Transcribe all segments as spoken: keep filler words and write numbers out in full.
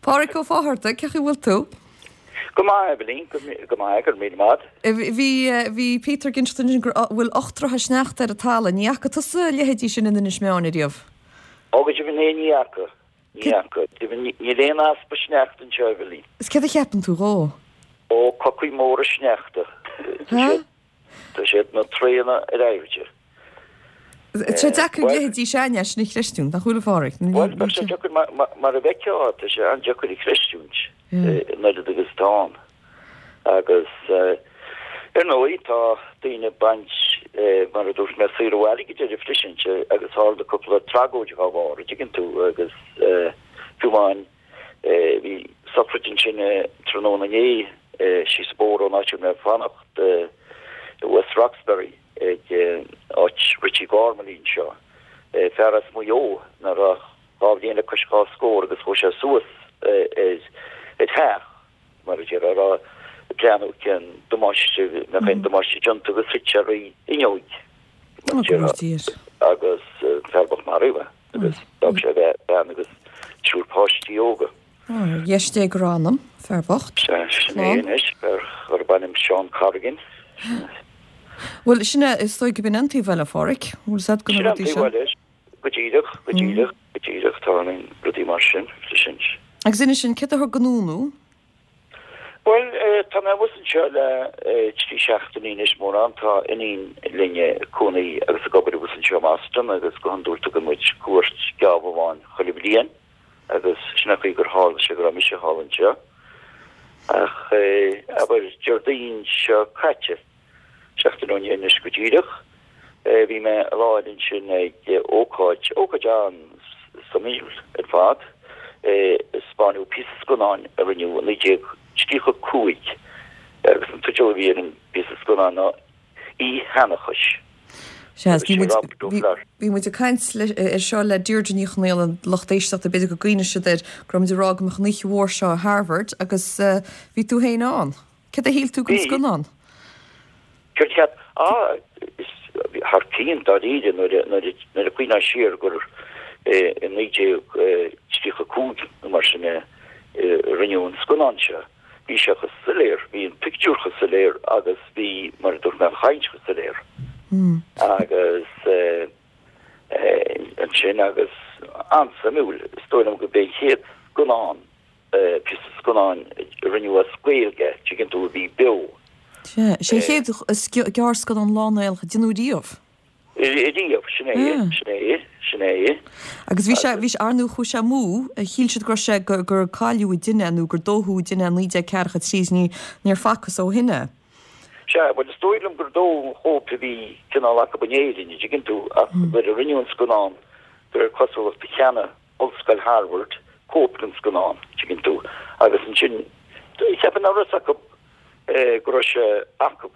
Páraic Ó Fátharta, cén chaoi a bhfuil tú? Go maith Evelyn, go maith go míle maith. Bhí bhí Peter ag insint go bhfuil ocht dtroithe sneachta ar an talamh, ní fhaca tusa a leithéidí sin in Inis Meáin ariamh. Ó go deimhin é ní fhaca. Ní fhaca. Níl aon easpa sneachta anseo Evelyn. Is céard a cheapann tú dhó? Ó cocaí móra sneachta. Tá siad na tréanna ar airde. Tá deacair a leithéidí sin sin a chreistiúint, nach bhfuil a Pháraic? Bhuel, tá sé deacair mar a bheifeá, tá sé an-deacair a chreistiúint an oiread agus atá ann. Agus ar ndóigh tá daoine ag baint mar a dúirt mé saor ó airgid air freisin agus tharla cúpla tragóid dá bharr, an dtuigeann tú agus fiú amháin bhí sochraid ansin tráthnóna inné síos an bóthar ón áit a raibh mé ag fanacht i West Roxbury ag áit Richie Gormley anseo. Fear as Maigh Eo nach raibh dhá bhliain le cois dhá scór agus chuaigh sé suas ar ar theach mar a déarfá ag breathnú cén damáiste nach aon damáiste déanta agus thit sé ar fhuinneog agus fear bocht maraíodh é agus d'fhág sé a bhean agus triúr páistí óga. Ar dheis Dé go raibh a anam, fear bocht. Sea, sin é anois, fear arb ainm Seán Corrigan. Bhuel, sin é, is dóigh gurb in an taobh eile, a Pháraic. Bhfuil fhios agat go na Sin an rudaí taobh seo. eile, go díreach, go díreach, go díreach, tarlaíonn rudaí mar sin, freisin. Agus inis dúinn, céard a thug anonn thú? Bhuel, tá mé abhus anseo le trí seachtainí anois, mórán. Tá iníon linn ag cónaí agus ag obair abhus anseo i mBoston agus go hiondúil tugann muid cuairt geábh amháin chuile bhliain agus sin an chaoi gur tharla sé go raibh mise thall anseo. Ach abair Déardaoin seo caite, seachtain ó inné anois go díreach, bhí mé i láthair ansin ag ócáid, ócáid an-suimiúil ar fad, spáineadh píosa scannáin a rinneadh i naoi déag tríocha cúig agus an teideal a bhí ar an bpíosa scannáin ná Oíche Sheanchais. Sea, bhí muid, bhí muid ag caint ar seo le Deirdre Ní Chonaola, an lucht éisteachta, b'fhéidir go gcuimhneoidh siad air, go raibh muid ag rá go mbeadh an oíche mhór seo i Harvard agus bhí tú féin ann. Céard a shíl tú den scannán? Céard a cheap? Ah, is thar cionn dáiríre nuair a, nuair a, nuair a chuimhneofá siar gur i naoi déag tríocha cúig nó mar sin a rinneadh an scannán seo. Bhí sé chomh soiléir, bhí an pictiúr chomh soiléir agus bhí, mar a dúirt mé, an chaint chomh soiléir. Agus ansin agus an-suimiúil, is dóigh liom gurb é an chéad scannán, píosa scannáin a rinneadh as Gaeilge, tuigeann tú, a bhí beo. Sea, sé an chéad gearrscannán lán-Ghaelach a deineadh riamh. Riamh, sin é, sin é, sin é. Agus bhí sé, bhí sé, ar ndóigh chuaigh sé amú, shíl siad go raibh sé, gur, gur cailleadh a deineadh é nó gur dódh a deineadh é i naoi déag ceathracha trí is ní, níor facthas ó shin é. Sea, bhuel is dóigh liom gur dódh an chóip a bhí cineál acu in Éirinn, an dtuigeann tú, ach nuair a rinneadh an scannán, de réir cosúlachta cheannaigh Ollscoil Harvard cóip den scannán, an dtuigeann tú, agus ansin, cheapfainn nach raibh fhios acu go raibh sé acu.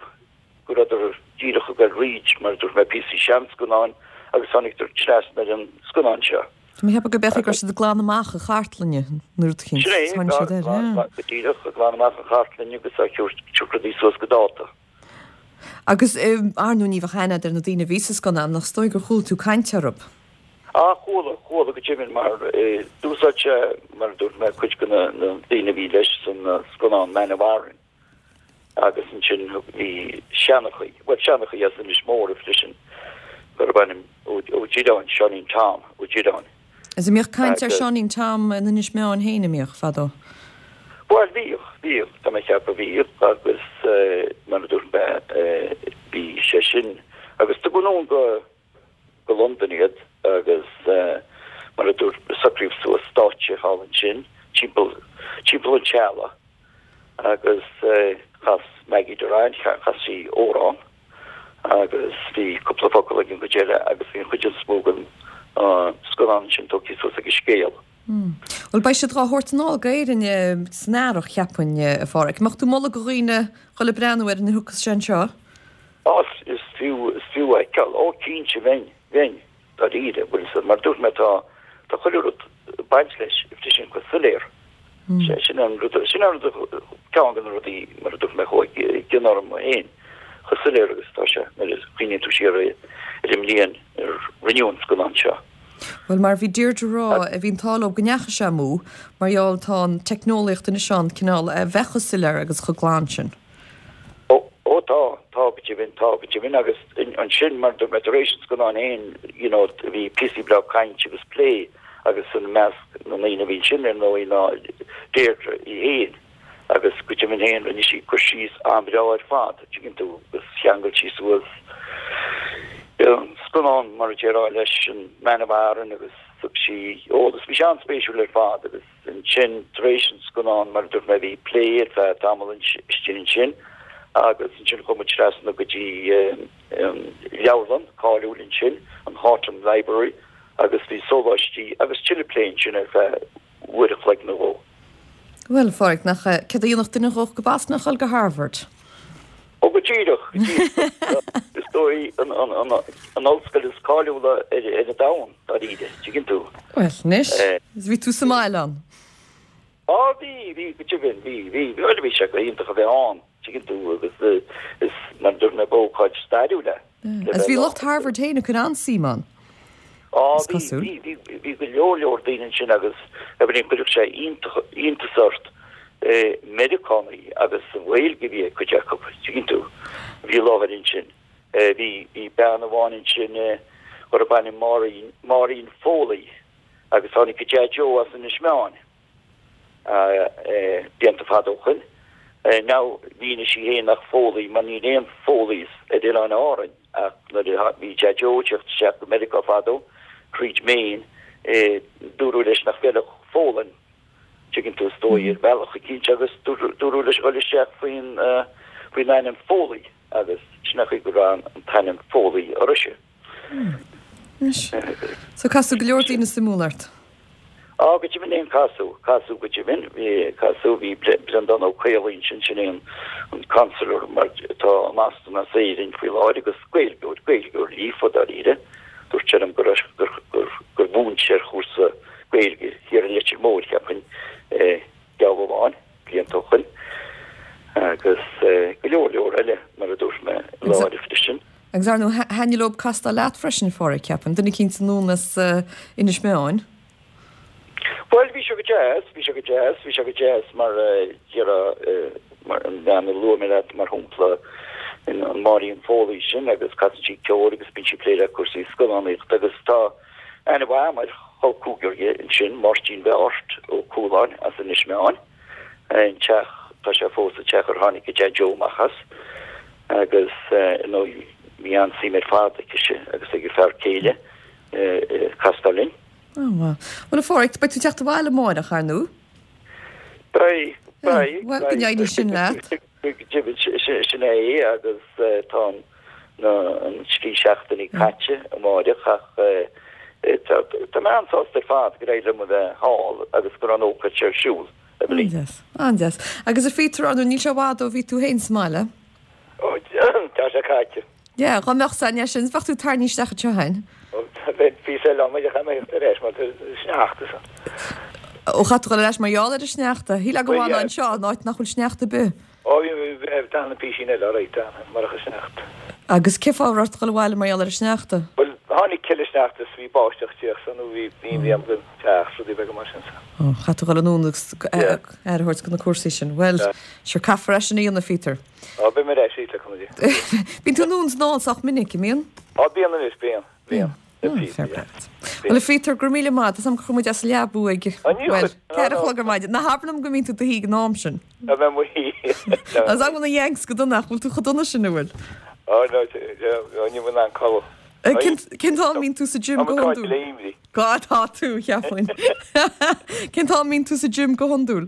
go rabhadar díreach ag goil thríd, mar a dúirt mé, píosaí seanscannáin agus tháinigdar trasna ar an scannán seo. Tá mé ag ceapadh go b'fhéidir go raibh siad ag glanadh amach an chartlainne nó rud eicínt. Sin é, Tháinig siad air, yeah. go díreach, ag glanadh amach an chartlainne agus á tabhairt rudaí suas go dáta. Agus ar ndóigh ní bheadh aithne agat ar na daoine a bhí sa scannán ach is dóigh gur chuala tú caint orthu. Ah, chuala, chuala go deimhin mar d'úsáid sé, mar a dúirt mé, cuid de na daoine a bhí leis san scannán Man of Aran. Agus ansin bhí seanchaí, bhuel seanchaí as Inis Mór freisin, gurbh ainm Ó Direáin, Seáinín Tom Ó Direáin. Is an mbíodh caint ar Seáinín Tom in Inis Meáin féin, an mbíodh, fadó? Bhuel bhíodh, bhíodh, tá mé ag ceapadh bhíodh agus mar a dúirt mé bhí sé sin agus tugadh anonn go go Londain iad agus mar a dúirt socraíodh suas stáitse thall ansin timpeall timpeall an teallaigh. Agus chas Maggie Dirrane, chas sí amhrán agus bhí cúpla focal ag an gcuid eile agus bhí an chuid is mó den scannán sin tógtha suas ag an scéal. Bhuel, beidh siad dhá thabhairt anall go Éirinn san earrach, cheapfainn, a Pháraic. Mbeadh tú ag moladh do dhaoine dhul ag breathnú air nuair a thiocfas sé anseo? Á, is fiú, is fiú a fheiceáil. Ó, cinnte, bheinn, bheinn. Dáiríre, bhuel, mar a dúirt mé, tá, tá chuile rud ag baint leis, tá sin chomh soiléir. Sin an rud, sin an rud, ceann de na rudaí, mar a dúirt mé, chuaigh i gcion orm féin, chomh soiléir agus atá sé nuair a chuimhníonn tú siar ar an mbliain ar rinneadh an scannán seo. Bhuel, mar a bhí Deirdre a rá, bhí an t-ádh leo go ndeachaigh sé amú mar gheall tá an teicneolaíocht anois ann cineál a bheith chomh soiléir agus chomh glan sin. Ó, ó tá, tá go deimhin, tá go deimhin agus ansin mar dúirt mé tar éis an scannáin féin, you know, bhí píosaí breá cainte agus plé agus i measc na ndaoine a bhí ansin ar ndóigh ná Deirdre í féin agus go deimhin féin rinne sí cur síos an-bhreá ar fad, tuigeann tú, agus cheangail sí suas an scannán mar a déarfá leis an Man of Aran agus thug sí eolas. Bhí sé an-spéisiúil ar fad agus ansin tar éis an scannán mar a dúirt mé bhí plé ar feadh tamall istigh ansin agus ansin chuaigh muid trasna go dtí an leabharlann cáiliúil ansin, an Houghton Library agus bhí sóláistí agus tuilleadh plé ansin ar feadh uair a chloig nó dhó. Bhuel, a Phádraig, nach céard a dhéanfadh duine dhó go Boston ach dul go Harvard? Ó, go díreach, go díreach. Is dóigh an ollscoil is cáiliúla ar an domhan, dáiríre, tuigeann tú. Bhuel, anois, bhí tú sa mbaile ann. Á, bhí, bhí, go deimhin, bhí, bhí, bhuel, bhí sé go hiontach a bheith ann, tuigeann tú, agus is, mar a dúirt mé, b'ócáid stairiúil é. Agus bhí lucht Harvard féin ag cur an-suim ann. Á, bhí, bhí, bhí, bhí go leor leor daoine ansin agus Eibhlín, chuirfeadh sé iontach, iontas ort, Meiriceánaigh agus an Ghaeilge a bhí ag cuid acu, tuigeann tú, a bhí i láthair ansin. Bhí, bhí bean amháin ansin darb ainm Máirín, Máirín Foley agus tháinig a Deaideo as Inis Meáin blianta fada ó shoin. Now, mhínigh sí féin nach Foley mar níl aon Foleys ar Oileáin Árainn. Ach nuair a bhí Deaideo ag teacht isteach go Meiriceá fadó, thríd Maine, dúradh leis nach bhfeilfeadh Foghlainn, tuigeann tú, is dóigh, ar bhealach eicínt, agus dúradh leis dhul isteach faoin faoin ainm Foley, agus sin é an chaoi go raibh an t-ainm Foley uirthise. Anois, so casadh go leor daoine suimiúla ort. Á, go deimhin féin, casadh, casadh go deimhin, bhí, casadh, bhí Breandán Ó Caollaí ansin, sin é an, an consular mar atá i mBoston as Éirinn faoi láthair agus Gaeilgeoir, Gaeilgeoir líofa dáiríre. Dúirt sé liom gur, gur, gur, gur mhúin sé ar chúrsa Gaeilge thiar i Leitir Móir, cheapfainn, geábh amháin, blianta ó shoin. Agus go leor leor eile, mar a dúirt mé, i láthair freisin. Agus ar ndóigh, thaitnigh leo castáil leat freisin, a Phádraig, ceapaim, duine eicínt anonn as Inis Meáin. Bhuel, bhí sé go deas, bhí sé go deas, bhí sé go deas mar déarfá, mar an bhean a luaigh mé leat, mar shampla, an Máirín Foley sin agus casann sí ceol agus bíonn sí ag plé le cúrsaí scannánaíochta agus tá aithne mhaith agam ar chol cúigear di ansin, Máirtín Bheáirt Ó Cualáin as Inis Meáin, an teach, tá sé fós sa teach ar tháinig a Deaideo amach as agus, ar ndóigh, bhí an-suim ar fad aicise agus ag a fear céile castáil linn. Ó, maith. Bhuel, a Phádraig, beidh tú ag teacht abhaile amáireach, ar ndóigh? Beidh, beidh. Bhuel, go n-éirí sin leat. Sin é agus tá an trí seachtainí caite amáireach ach tá mé an-sásta ar fad gur éirigh liom a bheith thall agus go raibh an ócáid seo ar siúl, Eibhlín. An-deas, an-deas. Agus a Phíotair, ar ndóigh, níl sé i bhfad ó bhí tú féin sa mbaile. Ó, tá sé caite. Yeah, dhá mbeadh sa ndeis sin, bheadh tú tarraingthe isteach anseo féin. Ó, bheinn píosa eile am, chaithfidh mé theacht ar ais mar tá sneachta san. Ó, chaithfidh tú dhul ar ais mar gheall ar an sneachta. Shílfeá go bhfanfá anseo in áit nach bhfuil sneachta ar bith. Ó, bhí, d'fhanfainn písín eile, alright, d'fhanfainn, murach an sneachta. Agus cén fáth a raibh ort dhul abhaile mar gheall ar an sneachta? Bhuel, tháinig tuilleadh sneachta is bhí báisteach ag tíocht so nó bhí imní orm don teach, rudaí beaga mar sin so. Ó, chaithfidh tú dhul anonn agus aire a thabhairt do na cúrsaí sin. Bhuel, sure, caithfear é sin a dhéanamh, a Phíotair. Ó, beidh mé ar ais arís le cúnamh Dé. Bíonn tú anonn is anall sách minic, an mbíonn? Ó, bíonn anois, bíonn, bíonn. Ah, fair play duit. Bhuel, a Phíotair, go raibh míle maith. Tá 's agam gur chuir muid as an leaba thú ag, bhuel, ceathair a chlog ar maidin. Ná habair liom go mbíonn tú i do shuí ag an am sin. Tá mé i mo shuí. Tá 's agam na Yanks go dona ach bhfuil tú chomh dona sin, an bhfuil? Ó, no, níl mé in ann codladh. Cén t-am a mbíonn tú sa gym go hiondúil? Tá mé caite le imní. Go, tá tú, cheapfainn. Cén t-am a mbíonn tú sa gym go hiondúil?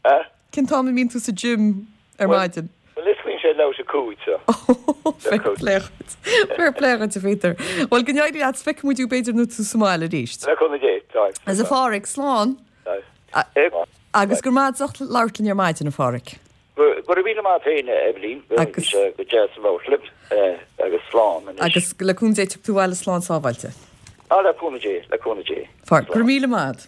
Eh? Cén t-am a mbíonn tú sa gym ar maidin? Bhuel, is bíonn sé leathuair tar éis a cúig so. Fair play dhuit. Fair play dhuit, a Phíotair. Bhuel, go n-éirí leat, feicfidh muid thú b'fhéidir nuair tú sa mbaile arís. Le cúnamh Dé, tá. Agus a Pháraic, slán. Agus go raibh maith agat as ucht labhairt linn ar maidin, a Pháraic. Go raibh míle maith agat féin, a Eibhlín. Bhí sé go deas labhairt libh agus slán anois. Agus le cúnamh Dé tiocfaidh tú abhaile slán sábháilte. Ah, le cúnamh Dé, le cúnamh Dé. Pháraic, go raibh míle maith agat.